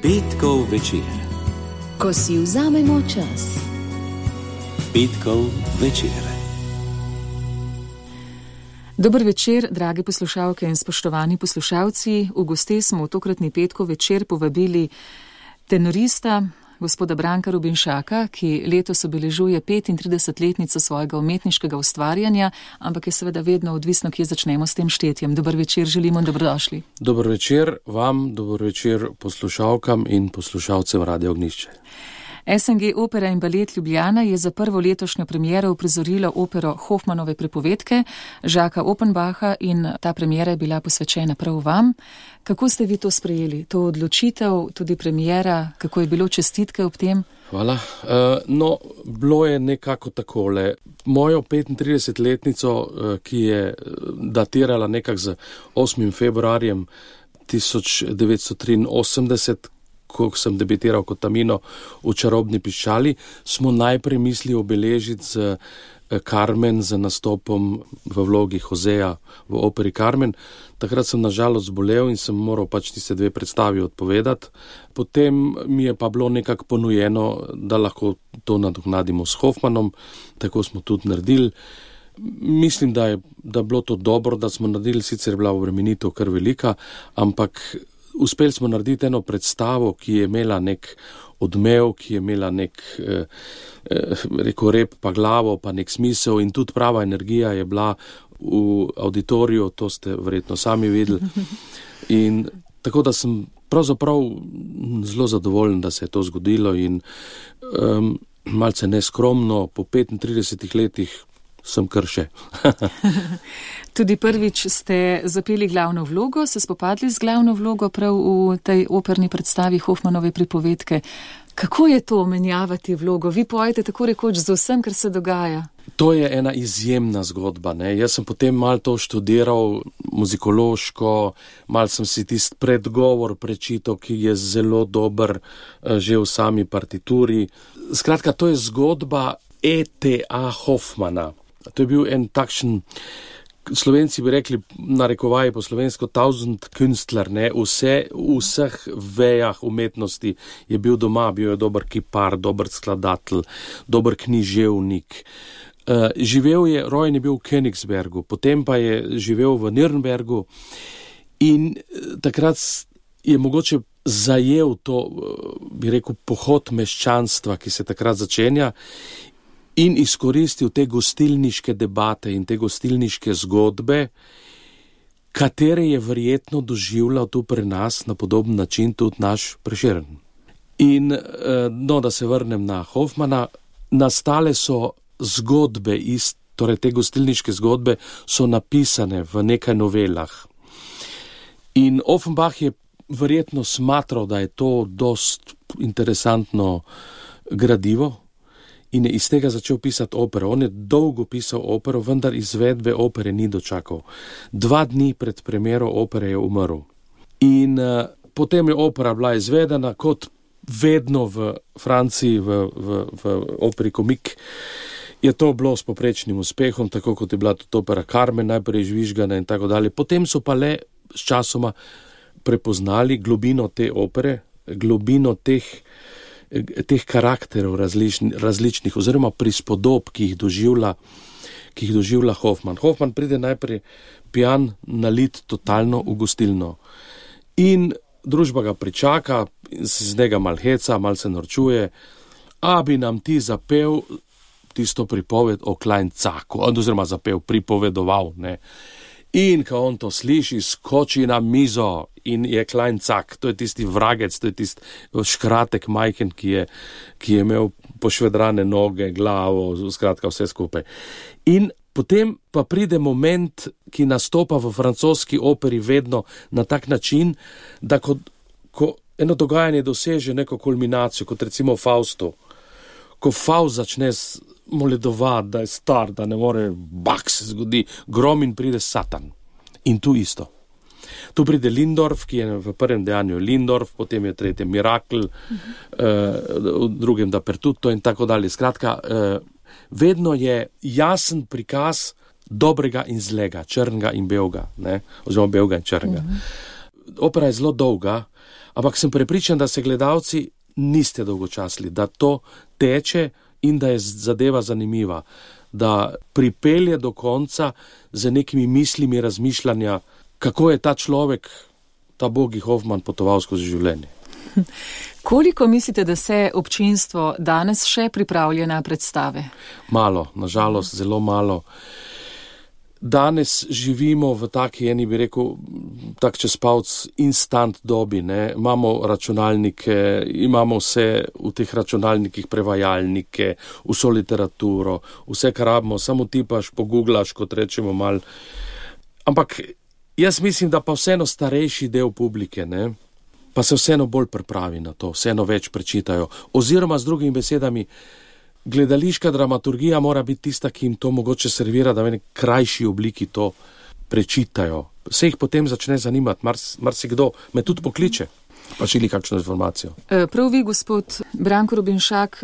Petkov večer. Ko si vzamemo čas. Petkov večer. Dober večer, drage poslušalke in spoštovani poslušalci. V goste smo v tokratni Petkov večer povabili tenorista, gospoda Branka Robinšaka, ki letos obeležuje 35-letnico svojega umetniškega ustvarjanja, ampak je seveda vedno odvisno, kje začnemo s tem štetjem. Dober večer, želimo in dobrodošli. Dober večer vam, dober večer poslušalkam in poslušalcem Radio Ognjišče. SNG Opera in balet Ljubljana je za prvo letošnjo premiero uprizorilo opero Hofmanove pripovedke Žaka Offenbacha in ta premiera je bila posvečena prav vam. Kako ste vi to sprejeli, to odločitev, tudi premiera, kako je bilo, čestitke ob tem? Hvala. Bilo je nekako takole. Mojo 35-letnico, ki je datirala nekako z 8. februarjem 1983, ko sem debitiral kot Tamino v Čarobni piščali, smo najprej mislili obeležiti z Carmen, z nastopom v vlogi Joseja v operi Carmen. Takrat sem nažalost zbolel in sem moral tiste dve predstavi odpovedati. Potem mi je pa bilo nekako ponujeno, da lahko to nadoknadimo s Hofmanom, tako smo tudi naredili. Mislim, da je bilo to dobro, da smo naredili, sicer je bila obremenitev kar velika, ampak uspeli smo narediti eno predstavo, ki je imela nek odmev, ki je imela nek rep pa glavo, pa nek smisel in tudi prava energija je bila v auditoriju, to ste verjetno sami videli. In tako da sem pravzaprav zelo zadovoljen, da se je to zgodilo in malce neskromno, po 35 letih sem kar še. Tudi prvič ste zapeli glavno vlogo, se spopadli z glavno vlogo prav v tej operni predstavi Hofmanove pripovedke. Kako je to menjavati vlogo? Vi pojete tako rekoč z vsem, kar se dogaja. To je ena izjemna zgodba, ne? Jaz sem potem malo to študiral muzikološko, malo sem si tisti predgovor prečital, ki je zelo dober že v sami partituri. Skratka, to je zgodba E.T.A. Hoffmana. To je bil en takšen, Slovenci bi rekli, narekovaji po slovensko, Tausendkünstler, ne, v vseh vejah umetnosti je bil doma, bil je dober kipar, dober skladatelj, dober književnik. Rojen je bil v Königsbergu, potem pa je živel v Nürnbergu in takrat je mogoče zajel to, bi rekel, pohod meščanstva, ki se takrat začenja, in izkoristil te gostilniške debate in te gostilniške zgodbe, katere je verjetno doživljal tu pri nas na podoben način tudi naš Prešeren. In da se vrnem na Hofmana, nastale so zgodbe, torej te gostilniške zgodbe so napisane v nekaj novelah. In Offenbach je verjetno smatral, da je to dost interesantno gradivo, in je iz tega začel pisati opero. On je dolgo pisal opero, vendar izvedbe opere ni dočakal. 2 dni pred premiero opere je umrl. In potem je opera bila izvedena, kot vedno v Franciji, v operi Komik, je to bilo s poprečnim uspehom, tako kot je bila tudi opera Carmen, najprej žvižgana in tako dalje. Potem so pa le s časoma prepoznali globino te opere, globino teh karakterov različnih oziroma prispodob, ki jih doživlja Hoffman. Hoffman pride najprej pijan, nalit totalno v gostilno. In družba ga pričaka, z njega mal heca, mal se norčuje, a bi nam ti zapel tisto pripoved o Kleincaku, oziroma zapel, pripovedoval, ne. In ko on to sliši, skoči na mizo in je Kleincak, to je tisti vragec, to je tisti škratek majhen, ki je imel pošvedrane noge, glavo, skratka vse skupaj. In potem pa pride moment, ki nastopa v francoski operi vedno na tak način, da ko eno dogajanje doseže neko kulminacijo, kot recimo Faustu, ko Faust začne moledovati, da je star, da ne more, se zgodi, grom in pride Satan. In tu isto. Tu pride Lindorf, ki je v prvem dejanju Lindorf, potem je tretjem Mirakel, v drugem Dappertutto in tako dalje. Skratka, vedno je jasen prikaz dobrega in zlega, črnega in belega, oziroma belega in črnega. Opera je zelo dolga, Ampak sem prepričan, da se gledalci niste dolgočasili, da to teče in da je zadeva zanimiva, da pripelje do konca z nekimi mislimi razmišljanja, kako je ta človek, ta Bogi Hoffman, potoval skozi življenje. Koliko mislite, da se občinstvo danes še pripravlja na predstave? Malo, nažalost, zelo malo. Danes živimo v taki eni, bi rekel, tak čez palc instant dobi, ne. Imamo računalnike, imamo vse v teh računalnikih, prevajalnike, vso literaturo, vse, kar rabimo, samo tipaš, poguglaš, kot rečemo mal. Ampak jaz mislim, da pa vseeno starejši del publike, ne, pa se vseeno bolj pripravi na to, vseeno več prečitajo. Oziroma, z drugimi besedami, gledališka dramaturgija mora biti tista, ki jim to mogoče servira, da v eni krajši obliki to prečitajo. Se jih potem začne zanimati, marsikdo me tudi pokliče, pa želi kakšno informacijo. Prav vi, gospod Branko Rubinšak,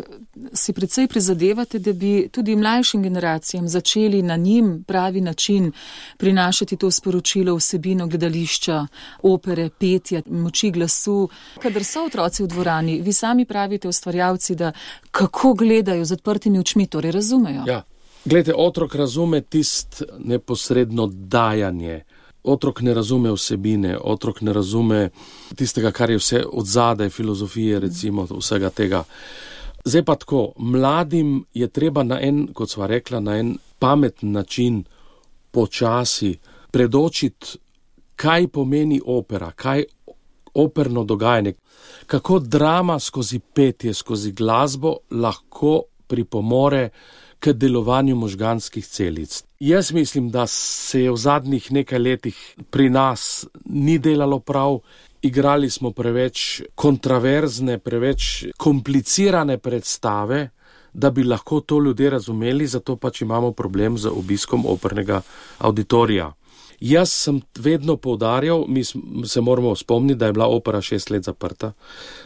si precej prizadevate, da bi tudi mlajšim generacijam začeli na njim pravi način prinašati to sporočilo, vsebino gledališča, opere, petja, moči glasu. Kadar so otroci v dvorani, vi sami pravite, ustvarjalci, da kako gledajo z odprtimi očmi, torej razumejo. Ja, glejte, otrok razume tist neposredno dajanje. Otrok ne razume vsebine, otrok ne razume tistega, kar je vse odzadaj, filozofije, recimo, vsega tega. Zdaj pa tako, mladim je treba na en, kot sva rekla, na en pameten način počasi predočiti, kaj pomeni opera, kaj operno dogajanje, kako drama skozi petje, skozi glasbo lahko pripomore k delovanju možganskih celic. Jaz mislim, da se je v zadnjih nekaj letih pri nas ni delalo prav, igrali smo preveč kontraverzne, preveč komplicirane predstave, da bi lahko to ljudje razumeli, zato pač imamo problem z obiskom opernega auditorija. Jaz sem vedno poudarjal, mi se moramo spomniti, da je bila opera 6 let zaprta,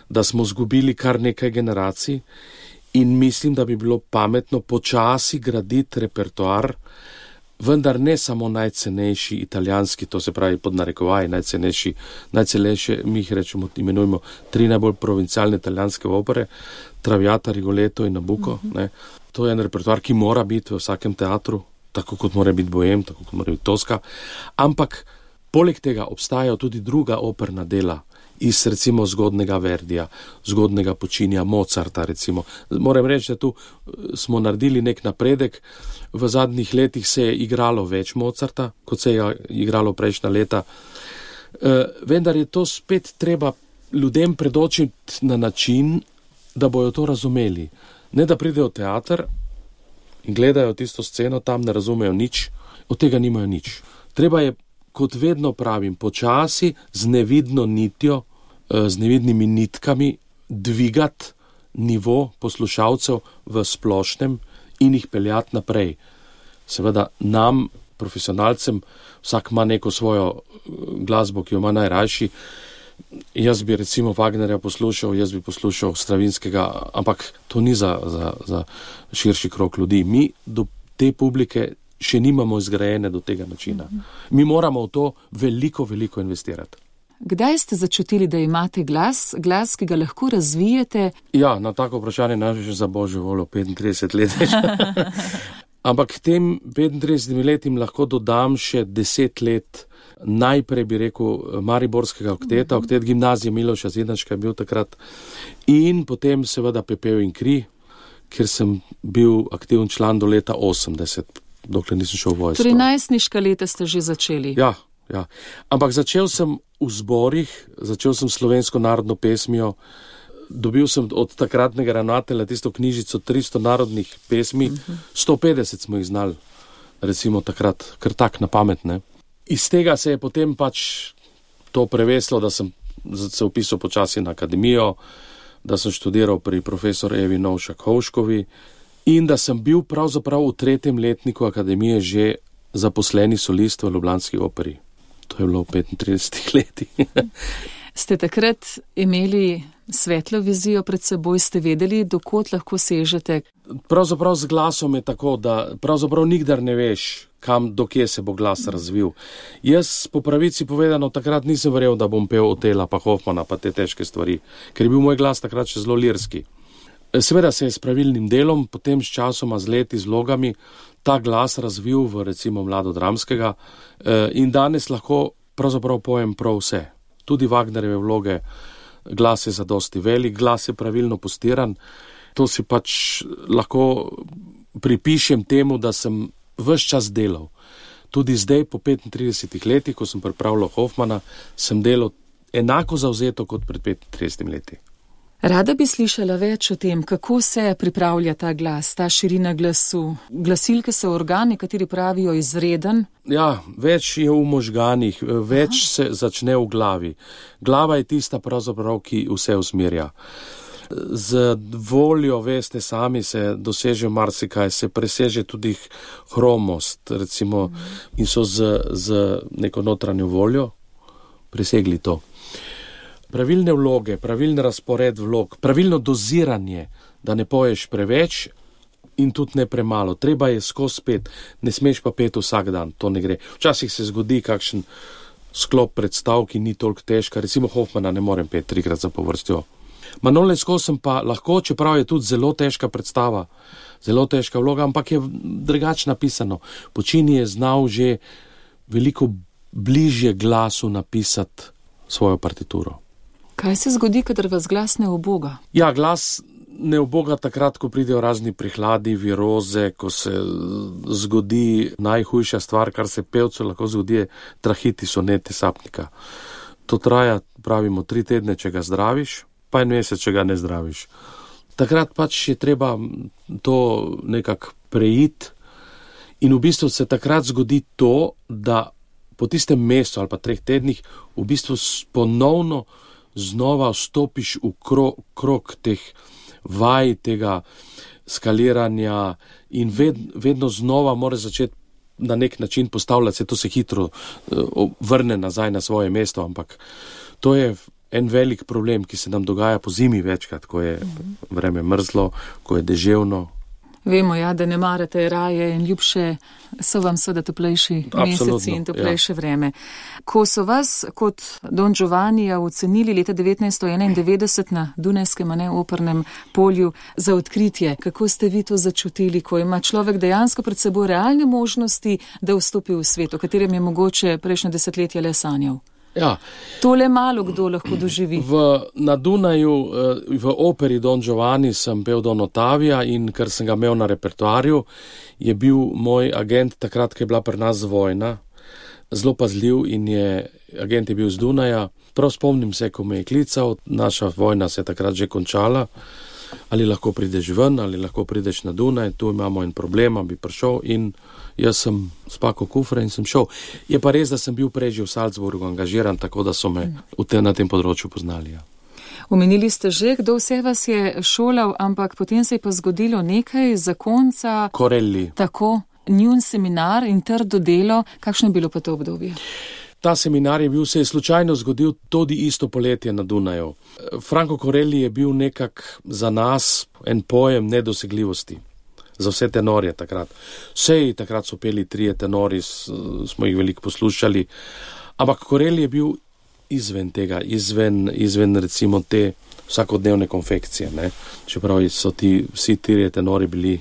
da smo zgubili kar nekaj generacij, in mislim, da bi bilo pametno počasi graditi repertoar, vendar ne samo najcenejši italijanski, to se pravi pod narekovaji, najcenejše, mi jih rečemo, imenujemo 3 najbolj provincialne italijanske opere, Traviata, Rigoletto in Nabucco. Ne. To je en repertoar, ki mora biti v vsakem teatru, tako kot mora biti Bohem, tako kot mora biti Tosca. Ampak poleg tega obstajajo tudi druga operna dela, iz recimo zgodnega Verdija, zgodnega Puccinija, Mozarta recimo. Moram reči, da tu smo naredili nek napredek. V zadnjih letih se je igralo več Mozarta, kot se je igralo prejšnja leta. Vendar je to spet treba ljudem predočiti na način, da bojo to razumeli. Ne da pridejo v teater in gledajo tisto sceno, tam ne razumejo nič, od tega nimajo nič. Treba je, kot vedno pravim, počasi z nevidno nitjo, z nevidnimi nitkami dvigati nivo poslušalcev v splošnem in jih peljati naprej. Seveda nam, profesionalcem, vsak ima neko svojo glasbo, ki jo ima najrajši. Jaz bi recimo Wagnerja poslušal, jaz bi poslušal Stravinskega, ampak to ni za širši krog ljudi. Mi do te publike še nimamo izgrajene do tega načina. Mi moramo v to veliko investirati. Kdaj ste začutili, da imate glas, ki ga lahko razvijete? Ja, na tako vprašanje največ za božjo voljo 35 let. Ampak tem 35 letim lahko dodam še 10 let, najprej bi rekel mariborskega okteta, oktet gimnazije Miloša Zidanška je bil takrat, in potem seveda Pepel in kri, kjer sem bil aktiven član do leta 80, dokler nisem šel v vojsko. Torej najstniška leta ste že začeli? Ja. Ampak začel sem v zborih, začel sem slovensko narodno pesmijo, dobil sem od takratnega ravnatelja tisto knjižico 300 narodnih pesmi, 150 smo jih znali, recimo takrat, kar tak na pamet, ne. Iz tega se je potem pač to preveslo, da sem se upisal počasi na akademijo, da sem študiral pri profesor Evi Novšak-Hovškovi in da sem bil pravzaprav v 3. letniku akademije že zaposleni solist v ljubljanski operi. To je bilo v 35 letih. Ste takrat imeli svetlo vizijo pred seboj, ste vedeli, dokot lahko sežete? Pravzaprav z glasom je tako, da pravzaprav nikdar ne veš, dokje se bo glas razvil. Jaz po pravici povedano takrat nisem verjel, da bom pel Otela pa Hoffmana pa te težke stvari, ker je bil moj glas takrat še zelo lirski. Seveda se je s pravilnim delom, potem s časoma, z leti, z vlogami, ta glas razvil v recimo mladodramskega in danes lahko pravzaprav pojem prav vse. Tudi Wagnerjeve vloge, glas je zadosti velik, glas je pravilno postiran. To si pač lahko pripišem temu, da sem ves čas delal. Tudi zdaj, po 35 letih, ko sem pripravljal Hoffmana, sem delal enako zavzeto kot pred 35 leti. Rada bi slišala več o tem, kako se pripravlja ta glas, ta širina glasu. Glasilke so organi, kateri pravijo izreden. Ja, več je v možganih, več se začne v glavi. Glava je tista pravzaprav, ki vse usmerja. Z voljo, veste, sami se doseže marsikaj, se preseže tudi hromost, recimo, in so z neko notranjo voljo presegli to. Pravilne vloge, pravilni razpored vlog, pravilno doziranje, da ne poješ preveč in tudi ne premalo. Treba je skozi pet, ne smeš pa pet vsak dan, to ne gre. Včasih se zgodi kakšen sklop predstav, ki ni toliko težka, recimo Hoffmana ne morem pet 3krat zapovrstjo. Manole skozi sem pa lahko, čeprav je tudi zelo težka predstava, zelo težka vloga, ampak je drugače napisano. Počini je znal že veliko bližje glasu napisati svojo partituro. Kaj se zgodi, kadar vas glas ne uboga? Ja, glas ne uboga takrat, ko pridejo razni prihladi, viroze, ko se zgodi najhujša stvar, kar se pevcu lahko zgodi, trahitis onete sapnika. To traja, pravimo, 3 tedne, če ga zdraviš, pa 1 mesec, če ga ne zdraviš. Takrat pač je treba to nekako preiti in v bistvu se takrat zgodi to, da po tistem mesecu ali pa 3 tednih v bistvu ponovno znova vstopiš v krog teh vaj, tega skaliranja in vedno znova moraš začeti na nek način postavljati, to se hitro vrne nazaj na svoje mesto, ampak to je en velik problem, ki se nam dogaja po zimi večkrat, ko je vreme mrzlo, ko je deževno. Vemo, ja, da ne marate raje in ljubše so vam seveda toplejši meseci in toplejše vreme. Ko so vas kot Don Giovannija ocenili leta 1991 na Dunajskem opernem polju za odkritje, kako ste vi to začutili, ko ima človek dejansko pred seboj realne možnosti, da vstopi v svet, o katerem je mogoče prejšnje desetletje le sanjal? Ja. To le malo kdo lahko doživi. Na Dunaju, v operi Don Giovanni sem pel Don Ottavia in ker sem ga imel na repertoarju, je bil moj agent takrat, ko je bila pri nas vojna, zelo pazljiv in agent je bil z Dunaja. Prav spomnim se, ko me je klical, naša vojna se je takrat že končala, ali lahko prideš ven, ali lahko prideš na Dunaj, tu imamo en problem, bi prišel in jaz sem spakal kufre in sem šel. Je pa res, da sem bil prej že v Salzburgu angažiran, tako da so me na tem področju poznali. Ja. Omenili ste že, kdo vse vas je šolal, ampak potem se je pa zgodilo nekaj zakonca. Corelli. Tako, njun seminar in trdo delo, kakšno je bilo pa to obdobje? Ta seminar se je slučajno zgodil tudi isto poletje na Dunaju. Franco Corelli je bil nekak za nas en pojem nedosegljivosti. Za vse tenorje takrat. Takrat so peli 3 tenori, smo jih veliko poslušali, ampak Corelli je bil izven tega, izven recimo te vsakodnevne konfekcije, ne? Čeprav so vsi 3 tenori bili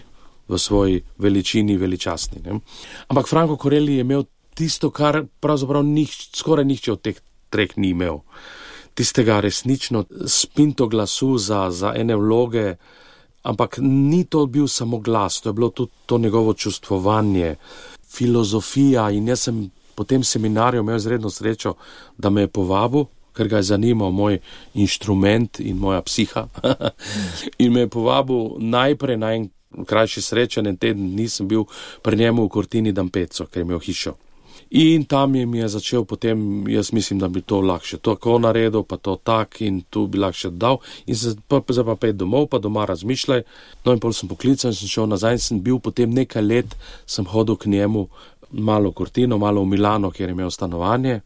v svoji veličini veličastni. Ne? Ampak Franco Corelli je imel tisto, kar pravzaprav skoraj nihče od teh 3 ni imel. Tistega resnično spinto glasu za ene vloge, ampak ni to bil samo glas, to je bilo tudi to njegovo čustvovanje, filozofija in jaz sem po tem seminarju imel izredno srečo, da me je povabil, ker ga je zanimal moj inštrument in moja psiha in me je povabil najprej na en krajši srečen, en teden nisem bil pri njemu v Cortini d'Ampezzo, ker je imel hišo. In tam mi je začel potem, jaz mislim, da bi to lahko še tako naredil, pa to tak in tu bi lahko še dal. In zdaj pa pet domov, pa doma razmišljaj. No in pol sem poklical in sem šel nazaj in sem bil potem nekaj let, sem hodil k njemu malo v Cortino, malo v Milano, kjer je imel stanovanje.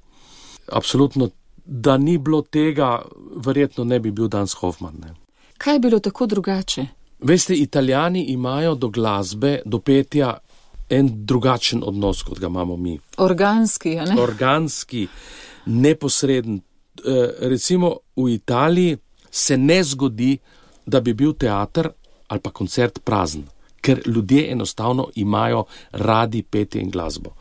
Absolutno da ni bilo tega, verjetno ne bi bil danes Hoffman. Ne. Kaj je bilo tako drugače? Veste, Italijani imajo do glasbe, do petja en drugačen odnos, kot ga imamo mi. Organski, a ne? Organski, neposreden. Recimo v Italiji se ne zgodi, da bi bil teater ali pa koncert prazen, ker ljudje enostavno imajo radi petje in glasbo.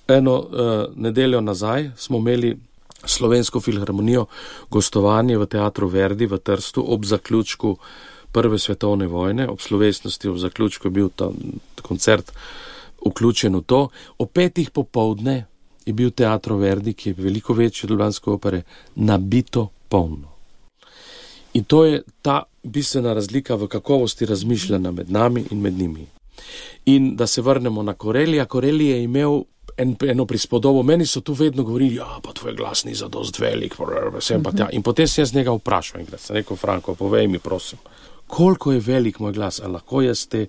Eno nedeljo nazaj smo imeli Slovensko filharmonijo gostovanje v teatru Verdi v Trstu ob zaključku Prve svetovne vojne, ob slovesnosti, ob zaključku je bil ta koncert vključen v to. O 5:00 popoldne je bil teatro Verdi, ki je veliko večji od ljubljanske opere, nabito polno. In to je ta bistvena razlika v kakovosti razmišljanja med nami in med njimi. In da se vrnemo na Corellija. Corelli je imel eno prispodobo. Meni so tu vedno govorili, pa tvoj glas ni zadost velik, sem pa tja. In potem sem jaz njega vprašal in sem rekel, Franko, povej mi, prosim, koliko je velik moj glas, a lahko jaz te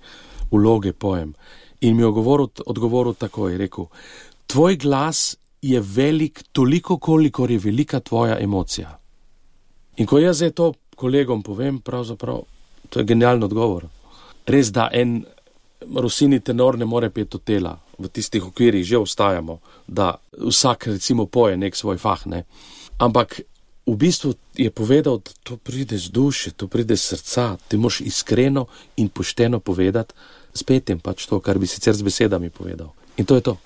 vloge pojem? In mi je odgovoril tako, je rekel, tvoj glas je velik toliko, kolikor je velika tvoja emocija. In ko jaz zdaj to kolegom povem, pravzaprav, to je genialno odgovor. Res, da en Rossini tenor ne more peti Otela, v tistih okvirih že ostajamo, da vsak recimo poje nek svoj fah, ne. Ampak v bistvu je povedal, da to pride z duše, to pride z srca, ti moraš iskreno in pošteno povedati, s petjem pač to, kar bi sicer z besedami povedal. In to je to.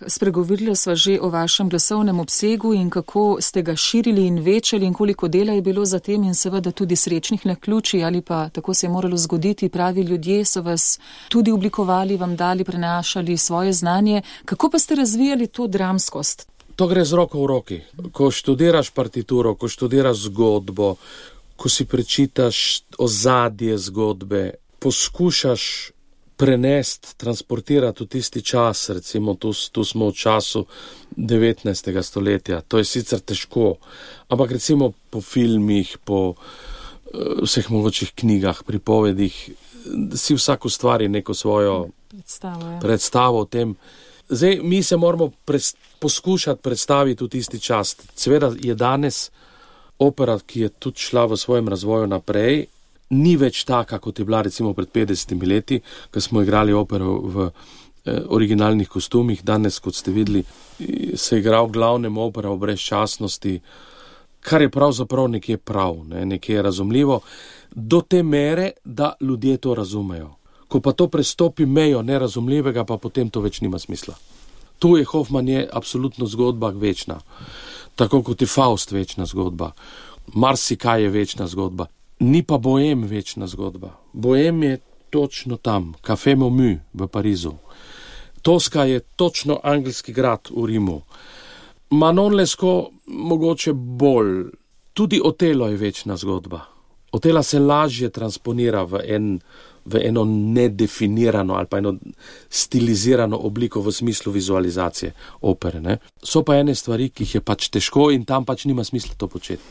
Spregovorila sva že o vašem glasovnem obsegu in kako ste ga širili in večali in koliko dela je bilo za tem in seveda tudi srečnih naključij ali pa tako se je moralo zgoditi, pravi ljudje so vas tudi oblikovali, vam dali, prenašali svoje znanje. Kako pa ste razvijali to dramskost? To gre z roko v roki. Ko študiraš partituro, ko študiraš zgodbo, ko si prečitaš ozadje zgodbe, poskušaš prenesti, transportirati v tisti čas, recimo tu smo v času 19. stoletja, to je sicer težko, ampak recimo po filmih, po vseh mogočih knjigah, pripovedih, si vsak ustvari neko svojo predstavo o tem. Zdaj, mi se moramo poskušati predstaviti v tisti čas. Seveda je danes opera, ki je tudi šla v svojem razvoju naprej, ni več taka, kot je bila recimo pred 50 leti, ko smo igrali opero v originalnih kostumih. Danes, kot ste videli, se igra v glavnem opera o brezčasnosti, kar je pravzaprav nekje prav, nekje razumljivo, do te mere, da ljudje to razumejo. Ko pa to prestopi mejo nerazumljivega, pa potem to več nima smisla. Tu je Hoffman je absolutno zgodba večna, tako kot je Faust večna zgodba, marsikaj je večna zgodba. Ni pa Bohem večna zgodba. Bohem je točno tam, Café Momu v Parizu. Toska je točno angelski grad v Rimu. Manon Lescaut mogoče bolj. Tudi Otelo je večna zgodba. Otela se lažje transponira v eno nedefinirano ali pa eno stilizirano obliko v smislu vizualizacije opere. Ne? So pa ene stvari, ki jih je pač težko in tam pač nima smisla to početi.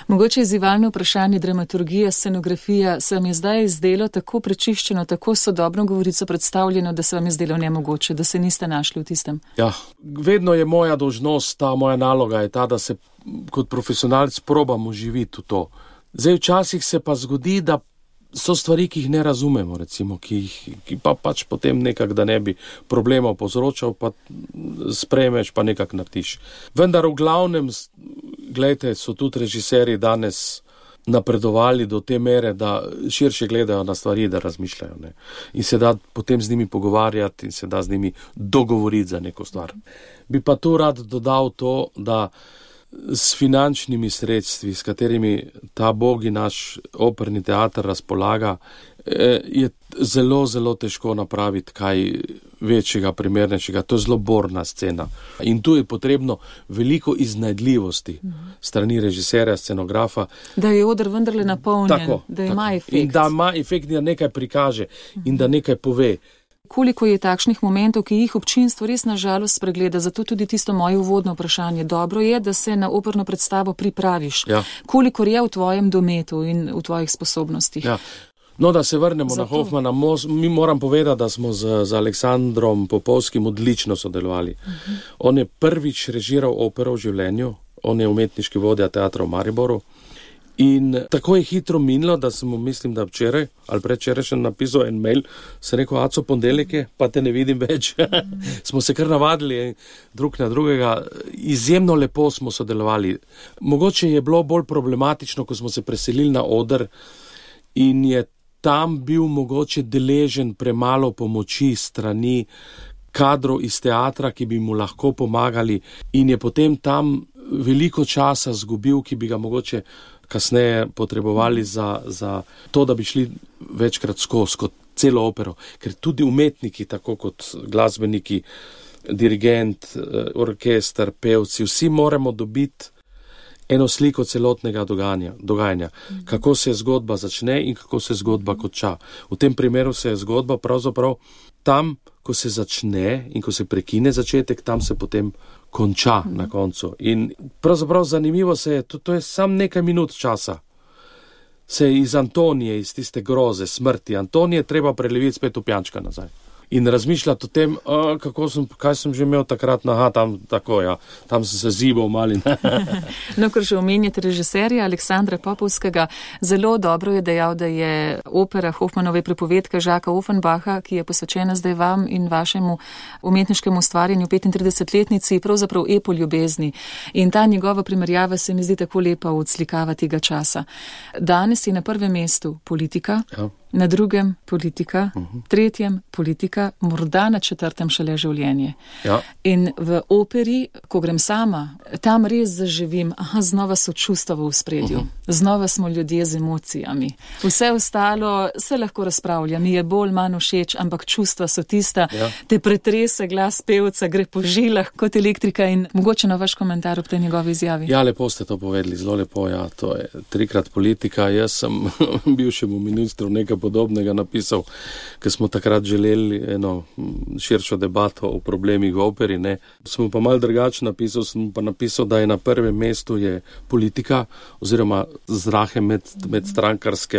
Mogoče izzivalno vprašanje, dramaturgija, scenografija, se vam je zdaj zdelo tako prečiščeno, tako sodobno govorico predstavljeno, da se vam je zdelo nemogoče, da se niste našli v tistem? Ja, vedno je moja dolžnost, moja naloga je ta, da se kot profesionalc probam uživiti v to. Zdaj včasih se pa zgodi, da so stvari, ki jih ne razumemo, recimo, ki pa pač potem nekak, da ne bi problemov povzročal, pa sprejmeš, pa nekak narediš. Vendar v glavnem, gledajte, so tudi režiserji danes napredovali do te mere, da širše gledajo na stvari, da razmišljajo. Ne? In se da potem z njimi pogovarjati in se da z njimi dogovoriti za neko stvar. Bi pa tu rad dodal to, da s finančnimi sredstvi, s katerimi ta bogi naš operni teater razpolaga, je zelo, zelo težko napraviti kaj večjega, primernejšega. To je zelo borna scena. In tu je potrebno veliko iznajdljivosti strani režiserja, scenografa. Da je oder vendarle napolnjen, da ima efekt. In da ima efekt, da nekaj prikaže in da nekaj pove. Koliko je takšnih momentov, ki jih občinstvo res nažalost spregleda, zato tudi tisto moje uvodno vprašanje. Dobro je, da se na operno predstavo pripraviš. Ja. Kolikor je v tvojem dometu in v tvojih sposobnostih? Ja. No, da se vrnemo na Hoffmana, mi moram povedati, da smo z Aleksandrom Popovskim odlično sodelovali. On je prvič režiral opero v življenju, on je umetniški vodja teatra v Mariboru. In tako je hitro minilo, da sem mu, mislim, da včeraj ali predvčeraj še napisal en mail, sem rekel, Aco, ponedeljek je, pa te ne vidim več. Smo se kar navadili drug na drugega, izjemno lepo smo sodelovali. Mogoče je bilo bolj problematično, ko smo se preselili na oder in je tam bil mogoče deležen premalo pomoči strani kadrov iz teatra, ki bi mu lahko pomagali, in je potem tam veliko časa zgubil, ki bi ga mogoče kasneje potrebovali za to, da bi šli večkrat skozi kot celo opero. Ker tudi umetniki, tako kot glasbeniki, dirigent, orkester, pevci, vsi moramo dobiti eno sliko celotnega dogajanja. Kako se zgodba začne in kako se zgodba konča. V tem primeru se je zgodba pravzaprav tam, ko se začne in ko se prekine začetek, tam se potem konča na koncu. In pravzaprav zanimivo se je, to je sam nekaj minut časa. Se je iz Antonije, iz tiste groze, smrti Antonije, treba preleviti spet v Pjančka nazaj. In razmišljati o tem, kaj sem že imel takrat, tam sem se zibal mali. No, ker že omenjate režiserja Aleksandra Popovskega, zelo dobro je dejal, da je opera Hofmanove pripovedke Žaka Offenbacha, ki je posvečena zdaj vam in vašemu umetniškemu ustvarjanju 35-letnici, pravzaprav epo ljubezni. In ta njegova primerjava se mi zdi tako lepa odslikava tega časa. Danes je na prvem mestu politika, na drugem politika, tretjem politika, morda na četrtem šele življenje. Ja. In v operi, ko grem sama, tam res zaživim, znova so čustva v ospredju, znova smo ljudje z emocijami. Vse ostalo se lahko razpravlja, mi je bolj manj všeč, ampak čustva so tista, te pretrese glas pevca, gre po žilah kot elektrika. In mogoče na vaš komentar ob tej njegovi izjavi. Ja, lepo ste to povedali, zelo lepo, to je 3-krat politika. Jaz sem bivšemu ministru nekaj podobnega napisal, ker smo takrat želeli eno širšo debato o problemih v operi, ne. Sem pa malo drugače napisal, da je na prvem mestu je politika, oziroma zrahe medstrankarske,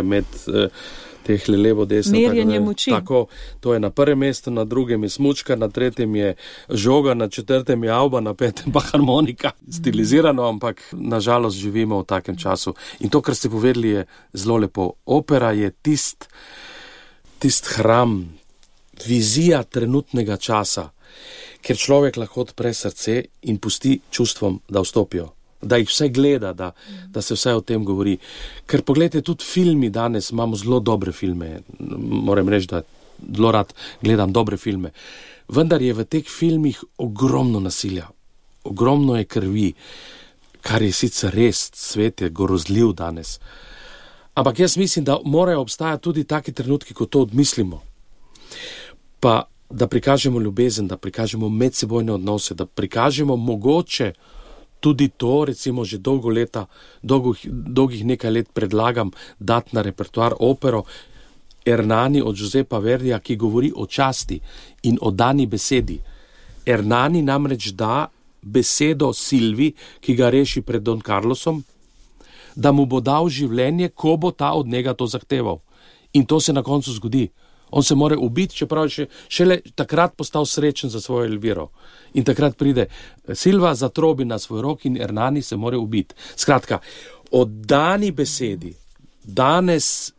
teh levo desno. Merjenje moči. Tako, to je na prvem mestu, na drugem je smučka, na tretjem je žoga, na četrtem je avba, na petem pa harmonika. Stilizirano, ampak nažalost živimo v takem času. In to, kar ste povedali, je zelo lepo. Opera je tist hram, vizija trenutnega časa, ker človek lahko odpre srce in pusti čustvom, da vstopijo, da jih vse gleda, da se vse o tem govori. Ker pogledajte, tudi filmi danes, imamo zelo dobre filme, moram reči, da zelo rad gledam dobre filme, vendar je v teh filmih ogromno nasilja, ogromno je krvi, kar je sicer res, svet je grozljiv danes. Ampak jaz mislim, da morajo obstajati tudi taki trenutki, ko to odmislimo. Pa da prikažemo ljubezen, da prikažemo medsebojne odnose, da prikažemo mogoče tudi to, recimo že dolgih nekaj let predlagam dati na repertoar opero Ernani od Giuseppa Verdija, ki govori o časti in o dani besedi. Ernani namreč da besedo Silvi, ki ga reši pred Don Carlosom, da mu bo dal življenje, ko bo ta od njega to zahteval. In to se na koncu zgodi. On se more ubiti, čeprav je šele takrat postal srečen za svojo Elviro. In takrat pride Silva, zatrobi na svoj rok in Ernani se more ubiti. Skratka, o dani besedi danes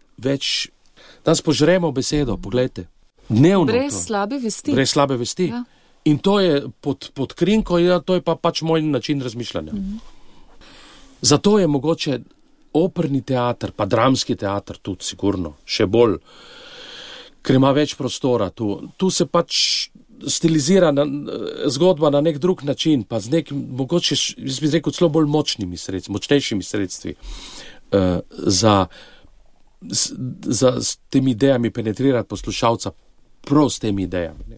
požremo besedo, poglejte. Dnevno. Brez slabe vesti. Brez slabe vesti. Ja. In to je pod krinko, to je pa pač moj način razmišljanja. Zato je mogoče operni teater, pa dramski teater tudi sigurno, še bolj, ker ima več prostora tu. Tu se pač stilizira zgodba na nek drug način, pa z nekim, mogoče, jaz bi rekel, celo bolj močnejšimi sredstvi za s temi idejami penetrirati poslušalca, prav s temi idejami.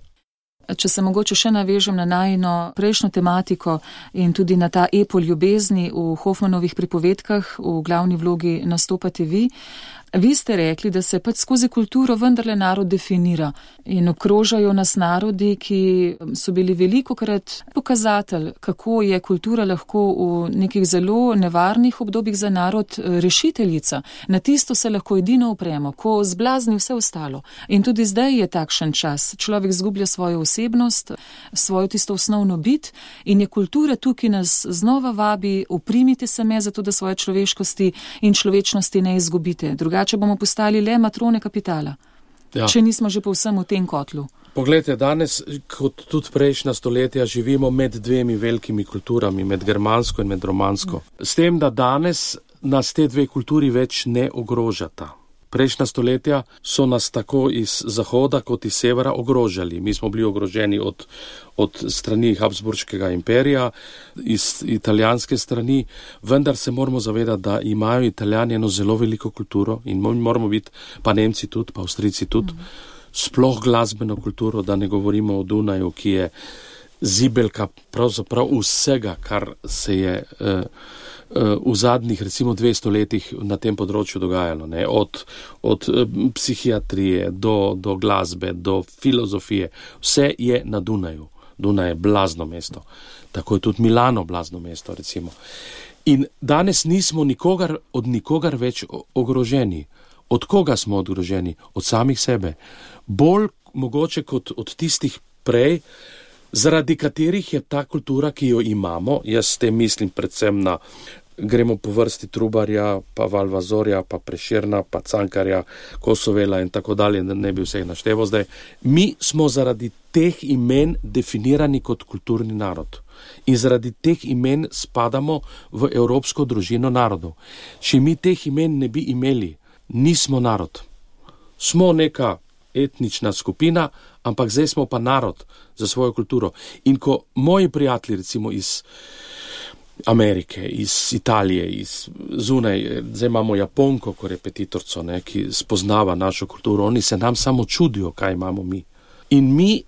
Če se mogoče še navežem na najino prejšnjo tematiko in tudi na ta epo ljubezni v Hofmanovih pripovedkah, v glavni vlogi nastopate vi. Vi ste rekli, da se pač skozi kulturo vendarle narod definira in obkrožajo nas narodi, ki so bili velikokrat pokazatelj, kako je kultura lahko v nekih zelo nevarnih obdobjih za narod rešiteljica. Na tisto se lahko edino opremo, ko zblazni vse ostalo. In tudi zdaj je takšen čas. Človek zgublja svojo zasebnost, svojo tisto osnovno bit in je kultura tukaj nas znova vabi, oprimite se me zato, da svoje človeškosti in človečnosti ne izgubite. Drugače bomo postali le matrone kapitala, če nismo že povsem v tem kotlu. Poglejte, danes, kot tudi prejšnja stoletja, živimo med dvemi velikimi kulturami, med germansko in med romansko. S tem, da danes nas te dve kulturi več ne ogrožata. Prejšnja stoletja so nas tako iz zahoda kot iz severa ogrožali. Mi smo bili ogroženi od strani Habsburškega imperija, iz italijanske strani, vendar se moramo zavedati, da imajo Italijani eno zelo veliko kulturo in moramo biti, pa Nemci tudi, pa Avstrijci tudi, sploh glasbeno kulturo, da ne govorimo o Dunaju, ki je zibelka pravzaprav vsega, kar se je v zadnjih recimo 200 letih na tem področju dogajalo, ne? Od psihiatrije do glasbe, do filozofije, vse je na Dunaju. Dunaj je blazno mesto. Tako je tudi Milano blazno mesto, recimo. In danes nismo od nikogar več ogroženi. Od koga smo ogroženi? Od samih sebe. Bolj mogoče kot od tistih prej, zaradi katerih je ta kultura, ki jo imamo, jaz s tem mislim predvsem na, gremo po vrsti Trubarja, pa Valvazorja, pa Prešerna, pa Cankarja, Kosovela in tako dalje, ne bi vseh našteval zdaj. Mi smo zaradi teh imen definirani kot kulturni narod. In zaradi teh imen spadamo v evropsko družino narodov. Če mi teh imen ne bi imeli, nismo narod. Smo neka etnična skupina, ampak zdaj smo pa narod za svojo kulturo. In ko moji prijatelji, recimo iz Amerike, iz Italije, iz zunaj, zdaj imamo Japonko kot repetitorco, ki spoznava našo kulturo, oni se nam samo čudijo, kaj imamo mi. In mi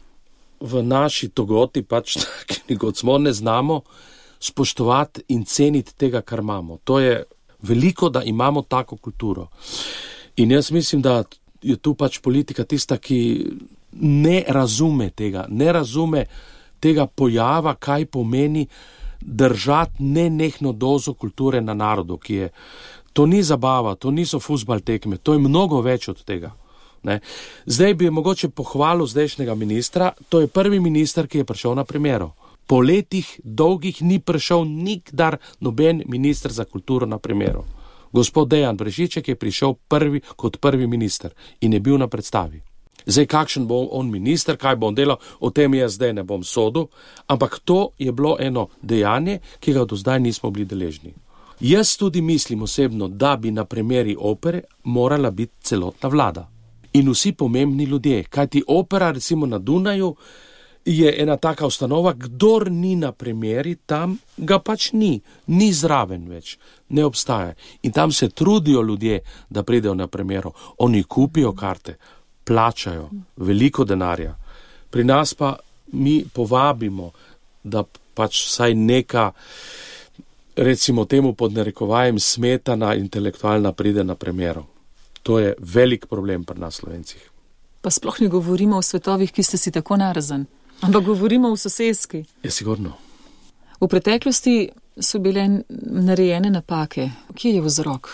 v naši togoti, pač taki kot smo, ne znamo spoštovati in ceniti tega, kar imamo. To je veliko, da imamo tako kulturo. In jaz mislim, da je tu pač politika tista, ki ne razume tega pojava, kaj pomeni držati nenehno dozo kulture na narodu, ki je, to ni zabava, to niso fuzbal tekme, to je mnogo več od tega. Ne? Zdaj bi mogoče pohvalil zdajšnjega ministra, to je prvi minister, ki je prišel na premiero. Po letih dolgih ni prišel nikdar noben minister za kulturo na premiero. Gospod Dejan Brežiček je prišel kot prvi minister in je bil na predstavi. Zdaj, kakšen bo on minister, kaj bo on delal, o tem jaz zdaj ne bom sodil, ampak to je bilo eno dejanje, ki ga do zdaj nismo bili deležni. Jaz tudi mislim osebno, da bi na premieri opere morala biti celotna vlada in vsi pomembni ljudje, kajti opera recimo na Dunaju je ena taka ustanova, kdor ni na premieri, tam ga pač ni zraven več, ne obstaja. In tam se trudijo ljudje, da pridejo na premiero, oni kupijo karte, plačajo veliko denarja. Pri nas pa mi povabimo, da pač vsaj neka, recimo temu pod narekovajem, smetana intelektualna pride na premiero. To je velik problem pri nas Slovencih. Pa sploh ne govorimo o svetovih, ki ste si tako narazen, ampak govorimo o soseski. Je sigurno. V preteklosti so bile narejene napake. Kje je vzrok?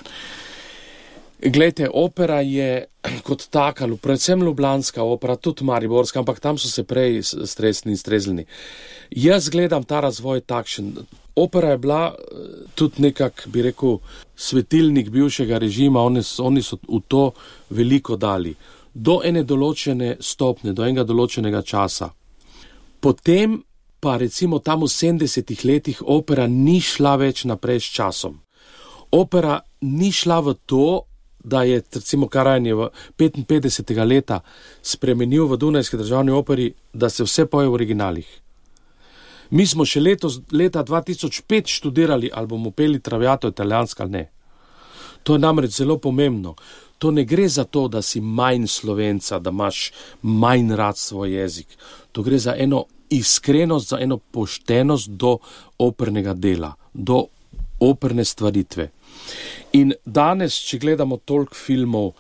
Glejte, opera je kot taka, predvsem ljubljanska opera, tudi mariborska, ampak tam so se prej stresni in streznili. Jaz gledam ta razvoj takšen. Opera je bila tudi nekak, bi rekel, svetilnik bivšega režima, oni so v to veliko dali. Do ene določene stopne, do enega določenega časa. Potem pa recimo tam v 70-ih letih opera ni šla več naprej s časom. Opera ni šla v to, da je recimo Karajan je v 55. leta spremenil v Dunajski državni operi, da se vse poje v originalih. Mi smo še leta 2005 študirali, ali bomo peli Traviato italijansko ali ne. To je namreč zelo pomembno. To ne gre za to, da si manj Slovenca, da imaš manj rad svoj jezik. To gre za eno iskrenost, za eno poštenost do opernega dela, do operne stvaritve. In danes, če gledamo toliko filmov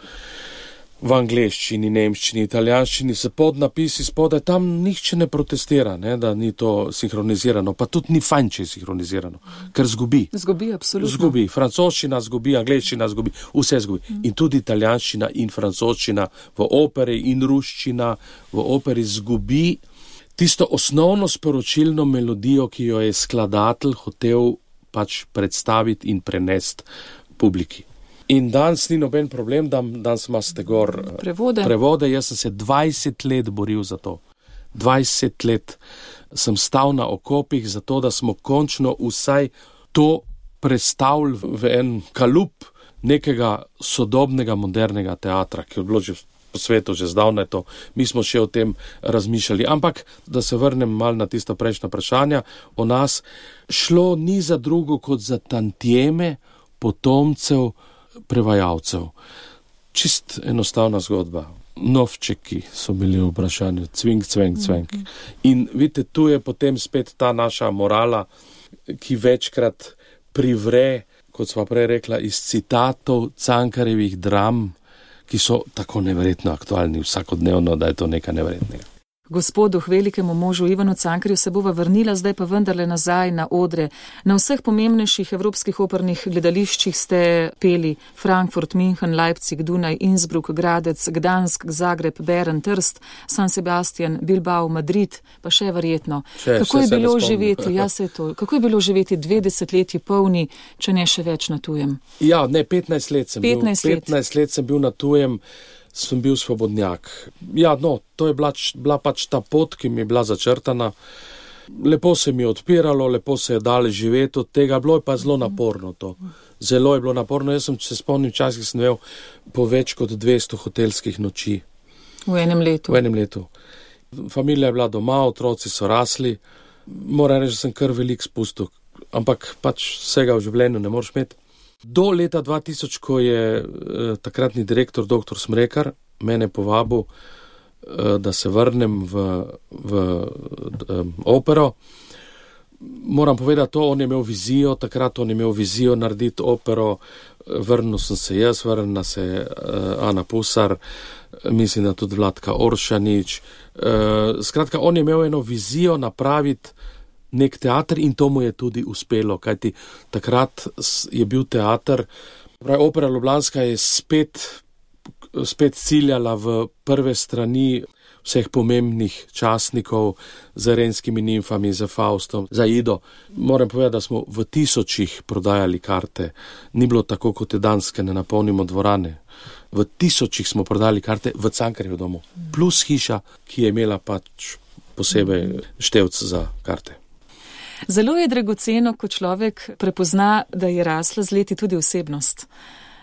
v angleščini, nemščini, italijanščini, se podnapisi spodaj, tam nihče ne protestira, ne, da ni to sinhronizirano, pa tudi ni fajn, če je sinhronizirano, ker zgubi. Zgubi, absolutno. Zgubi, francoščina zgubi, angleščina zgubi, vse zgubi. In tudi italijanščina in francoščina v operi in ruščina v operi zgubi tisto osnovno sporočilno melodijo, ki jo je skladatelj hotel pač predstaviti in prenesti publiki. In danes ni noben problem, danes imate gor prevode. Jaz sem se 20 let boril za to. 20 let sem stal na okopih za to, da smo končno vsaj to predstavili v en kalup nekega sodobnega, modernega teatra, ki je bilo že po svetu že zdavnaj to. Mi smo še o tem razmišljali. Ampak, da se vrnem malo na tisto prejšnja vprašanja o nas, šlo ni za drugo kot za tantieme potomcev prevajalcev. Čist enostavna zgodba. Novčeki so bili v vprašanju. Cvink, cvenk, cvenk. In vidite, tu je potem spet ta naša morala, ki večkrat privre, kot sva prej rekla, iz citatov Cankarjevih dram, ki so tako neverjetno aktualni vsakodnevno, da je to nekaj neverjetnega. Gospodu, velikemu možu Ivanu Cankarju se bova vrnila, zdaj pa vendarle nazaj na odre. Na vseh pomembnejših evropskih opernih gledališčih ste peli Frankfurt, München, Leipzig, Dunaj, Innsbruck, Gradec, Gdansk, Zagreb, Bern, Trst, San Sebastian, Bilbao, Madrid, pa še verjetno. Kako je bilo živeti, kako je bilo živeti 2 desetletji polni, če ne še več na tujem? Ja, ne, 15 let sem 15 let sem bil na tujem. Sem bil svobodnjak. Ja, no, to je bila pač ta pot, ki mi je bila začrtana. Lepo se mi je odpiralo, lepo se je dalo živeti od tega, bilo je pa zelo naporno to. Zelo je bilo naporno. Jaz sem se spomnim časih, sem imel po več kot 200 hotelskih noči. V enem letu. Familija je bila doma, otroci so rasli. Moram reči, da sem kar velik spustil. Ampak pač vsega v življenju ne moreš imeti. Do leta 2000, ko je takratni direktor dr. Smrekar mene povabil, da se vrnem v opero. Moram povedati to, on je imel vizijo, takrat on je imel vizijo narediti opero, vrnil sem se jaz, vrnila se Ana Pusar, mislim, da tudi Vladka Oršanič. Skratka, on je imel eno vizijo napraviti nek teater in to mu je tudi uspelo, kajti takrat je bil teater, opera Ljubljanska je spet ciljala v prve strani vseh pomembnih častnikov z Renskimi nimfami, za Faustom, za Ido. Moram povedati, da smo v tisočih prodajali karte. Ni bilo tako, kot je danes, ne napolnimo dvorane. V tisočih smo prodali karte v Cankarjev domu. Plus hiša, ki je imela pač posebej števc za karte. Zelo je dragoceno, ko človek prepozna, da je rasla z leti tudi osebnost.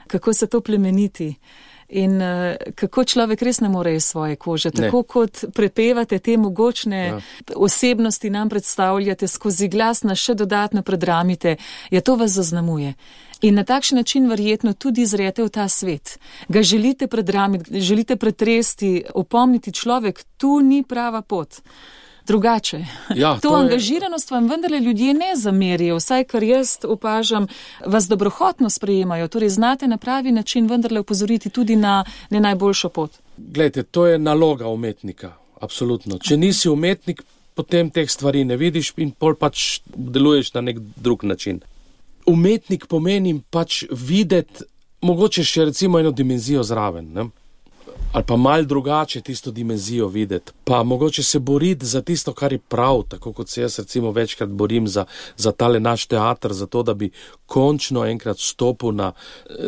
Kako se to plemeniti in kako človek res ne more iz svoje kože. Tako kot prepevate te mogočne osebnosti, nam predstavljate, skozi glas nas še dodatno predramite, to vas zaznamuje. In na takšen način verjetno tudi zrete v ta svet. Ga želite predramiti, želite pretresti, opomniti človek, tu ni prava pot. Drugače. To angažiranost vam vendarle ljudje ne zamerijo, vsaj kar jaz opažam, vas dobrohotno sprejemajo, torej znate na pravi način vendarle opozoriti tudi na ne najboljšo pot. Glejte, to je naloga umetnika, absolutno. Če nisi umetnik, potem teh stvari ne vidiš in pol pač deluješ na nek drug način. Umetnik pomeni pač videti, mogoče še recimo eno dimenzijo zraven, ne? Ali pa mal drugače tisto dimenzijo videti, pa mogoče se boriti za tisto, kar je prav, tako kot se jaz recimo večkrat borim za tale naš teater, za to, da bi končno enkrat stopil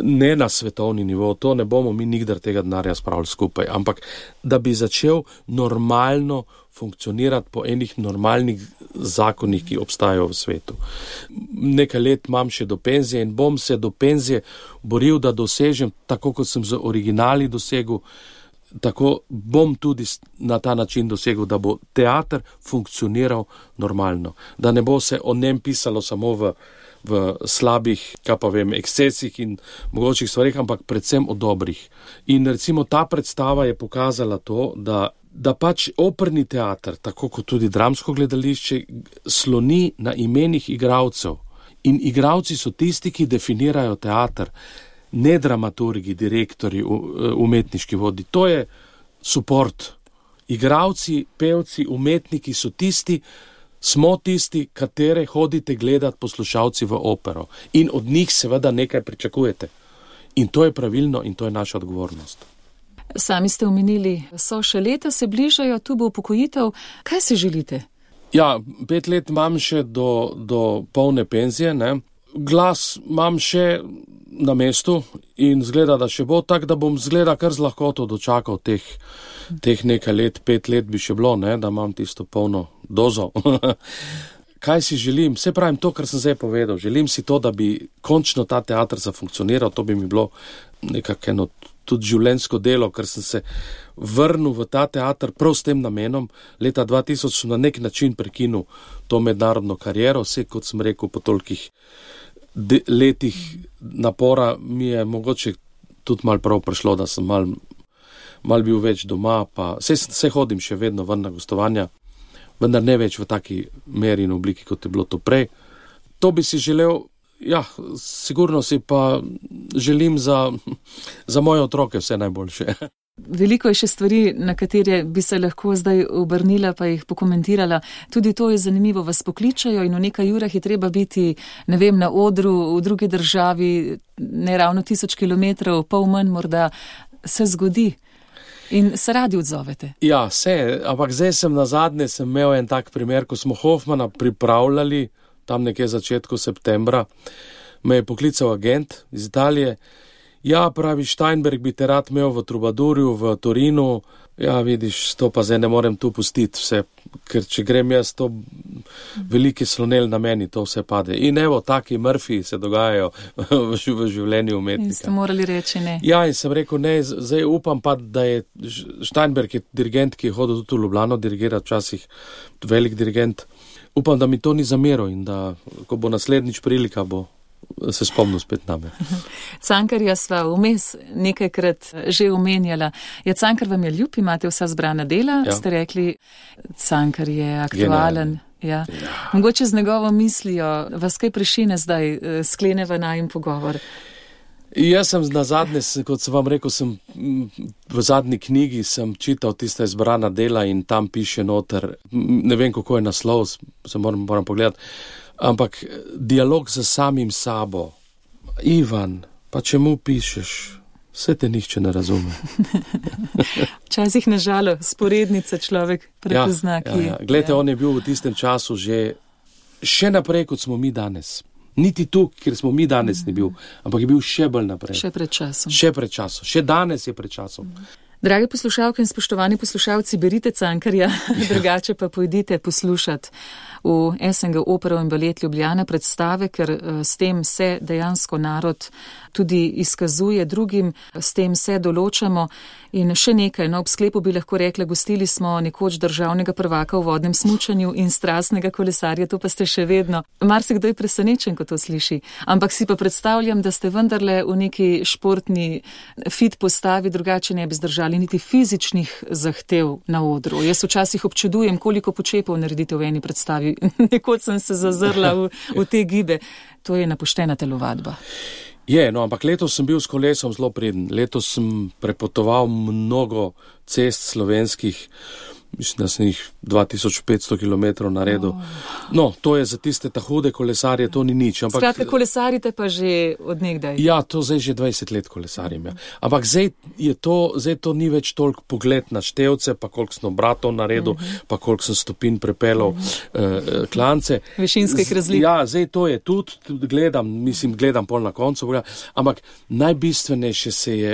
ne na svetovni nivo, to ne bomo mi nikdar tega denarja spravili skupaj, ampak da bi začel normalno funkcionirati po enih normalnih zakonih, ki obstajajo v svetu. Nekaj let imam še do penzije in bom se do penzije boril, da dosežem, tako kot sem z originali dosegel, tako bom tudi na ta način dosegel, da bo teater funkcioniral normalno. Da ne bo se o njem pisalo samo v slabih, ekscesih in mogočih stvarih, ampak predvsem o dobrih. In recimo ta predstava je pokazala to, da pač operni teater, tako kot tudi dramsko gledališče, sloni na imenih igralcev. In igralci so tisti, ki definirajo teater, ne dramaturgi, direktori, umetniški vodi. To je support. Igralci, pevci, umetniki so tisti, smo tisti, katere hodite gledati poslušalci v opero. In od njih seveda nekaj pričakujete. In to je pravilno in to je naša odgovornost. Sami ste omenili, so še leta, se bližajo, tu bo upokojitev. Kaj si želite? Ja, 5 let imam še do polne penzije, ne. Glas imam še na mestu in zgleda, da še bo tak, da bom zgleda kar z lahkoto dočakal teh nekaj let, 5 let bi še bilo, ne, da imam tisto polno dozo. Kaj si želim? Vse pravim to, kar sem zdaj povedal. Želim si to, da bi končno ta teater zafunkcioniral, to bi mi bilo nekako eno tudi življenjsko delo, ker sem se vrnil v ta teater prav s tem namenom. Leta 2000 sem na nek način prekinul to mednarodno kariero, vse kot sem rekel, po tolikih letih napora mi je mogoče tudi malo prav prišlo, da sem mal bil več doma, pa se hodim še vedno ven na gostovanja, vendar ne več v taki meri in obliki, kot je bilo to prej. To bi si želel, ja, sigurno si pa želim za moje otroke vse najboljše. Veliko je še stvari, na katere bi se lahko zdaj obrnila, pa jih pokomentirala. Tudi to je zanimivo, vas pokličajo in v nekaj urah je treba biti, ne vem, na odru v drugi državi, ne ravno 1000 kilometrov, pol manj morda, se zgodi. In se radi odzovete? Ja, ampak zdaj nazadnje sem imel en tak primer, ko smo Hoffmana pripravljali, tam nekje začetku septembra, me je poklical agent iz Italije. Ja, pravi, Steinberg bi te rad imel v Trubadurju, v Torinu. Ja, vidiš, to pa zdaj ne morem tu pustiti vse, ker če grem jaz, to veliki slonel na meni, to vse pade. In evo, taki Murphy se dogajajo v življenju umetnika. In ste morali reči ne. Ja, in sem rekel ne, zdaj upam pa, da je Steinberg je dirigent, ki je hodil tudi v Ljubljano dirigirati, včasih velik dirigent. Upam, da mi to ni zameril in da, ko bo naslednjič prilika, bo se spomnil spet name. Cankarja sva vmes nekajkrat že omenjala. Ja, Cankar vam je ljub, imate vsa zbrana dela, ja. Ste rekli, Cankar je aktualen. Ja. Ja. Mogoče z njegovo mislijo, vas kaj prešine zdaj, skleneva najin pogovor? Jaz sem nazadnje, kot sem vam rekel, v zadnji knjigi sem čital tista izbrana dela in tam piše noter, ne vem, kako je naslov, se moram pogledati, ampak dialog z samim sabo. Ivan, pa čemu pišeš? Vse te nihče ne razume. Včasih na žalo, sporednica človek prepozna. Ja. Glejte, on je bil v tistem času še naprej, kot smo mi danes. Niti tu, kjer smo mi danes ni bil, ampak je bil še bolj naprej. Še pred časom. Še danes je pred časom. Drage poslušalke in spoštovani poslušalci, berite Cankarja, drugače pa pojdite poslušati v SNG Opero in Balet Ljubljana predstave, ker s tem se dejansko narod tudi izkazuje drugim, s tem se določamo. In še nekaj, ob sklepu bi lahko rekla, gostili smo nekoč državnega prvaka v vodnem smučanju in strastnega kolesarja, to pa ste še vedno. Marsikdo je presenečen, ko to sliši, ampak si pa predstavljam, da ste vendarle v neki športni fit postavi, drugače ne bi zdržali niti fizičnih zahtev na odru. Jaz včasih občudujem, koliko počepov naredite v eni predstavi. Nekoč sem se zazrla v te gibe. To je napoštena telovadba. Ampak letos sem bil s kolesom zelo preden. Letos sem prepotoval mnogo cest slovenskih, mislim, da sem jih 2500 km naredil. No, to je za tiste ta hude kolesarje, to ni nič. Skratka, kolesarite pa že od nekdaj. Ja, to zdaj že 20 let kolesarim. Ja. Ampak zdaj to ni več toliko pogled na števce, pa koliko sem obratov naredil, pa koliko sem stopinj prepelal klance. Višinskih razlik. Ja, zdaj to je tudi, gledam pol na koncu, ampak najbistvenejše se je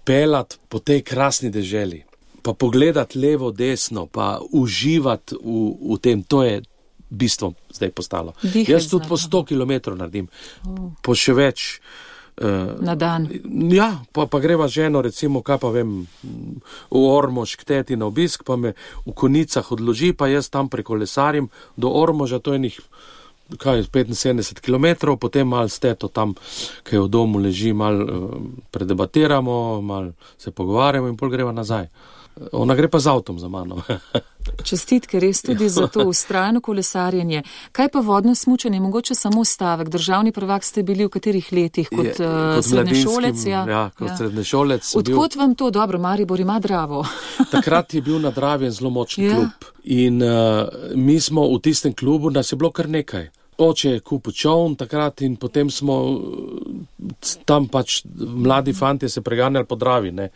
pelat po tej krasni deželi. Pa pogledati levo, desno, pa uživati v tem, to je bistvo zdaj postalo. Jaz tudi po 100 km naredim, po še več. Na dan. Ja, pa greva ženo, recimo, kaj pa vem, v Ormož k teti na obisk, pa me v konicah odloži, pa jaz tam prekolesarim do Ormoža, to je njih 75 km, potem malo steto tam, kaj v domu leži, malo predebatiramo, malo se pogovarjamo in pol greva nazaj. Ona gre pa z avtom za mano. Čestitke res tudi za to vztrajno kolesarjenje. Kaj pa vodno smučanje? Mogoče samo stavek. Državni prvak ste bili v katerih letih? Kot srednješolec? Ja, kot srednješolec. Odkot vam to? Dobro, Maribor ima Dravo. Takrat je bil na Dravi en zelo močen klub. In mi smo v tistem klubu, nas je bilo kar nekaj. Oče je kupil čovn takrat in potem smo tam pač mladi fantje se preganjali po Dravi, ne.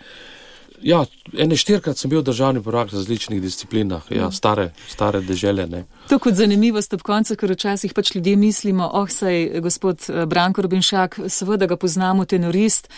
Ja, 4-krat sem bil državni prvak v različnih disciplinah, ja, stare dežele, ne. To kot zanimivost ob koncu, ker včasih pač ljudje mislimo, saj gospod Branko Rubinšak, seveda ga poznamo, tenorist,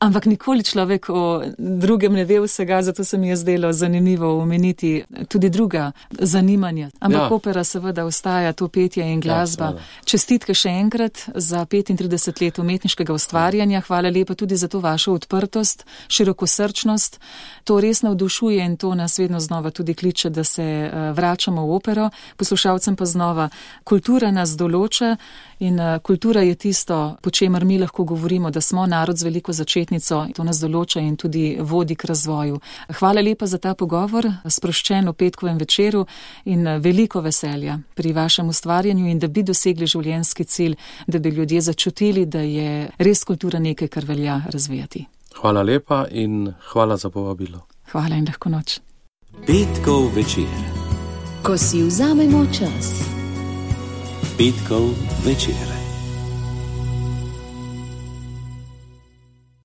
ampak nikoli človek o drugem ne ve vsega, zato se mi je zdelo zanimivo omeniti tudi druga zanimanja. Ampak opera seveda ostaja to petje in glasba. Čestitke še enkrat za 35 let umetniškega ustvarjanja. Hvala lepa tudi za to vašo odprtost, širokosrčnost. To res navdušuje in to nas vedno znova tudi kliče, da se vračamo v opero. Poslušalcem pa znova, kultura nas določa in kultura je tisto, po čemer mi lahko govorimo, da smo narod z veliko začetnico. To nas določa in tudi vodi k razvoju. Hvala lepa za ta pogovor, sproščen v petkovem večeru in veliko veselja pri vašem ustvarjanju in da bi dosegli življenjski cilj, da bi ljudje začutili, da je res kultura nekaj, kar velja razvijati. Hvala lepa in hvala za povabilo. Hvala in lahko noč. Petkov večer. Ko si vzamemo čas. Petkov večer.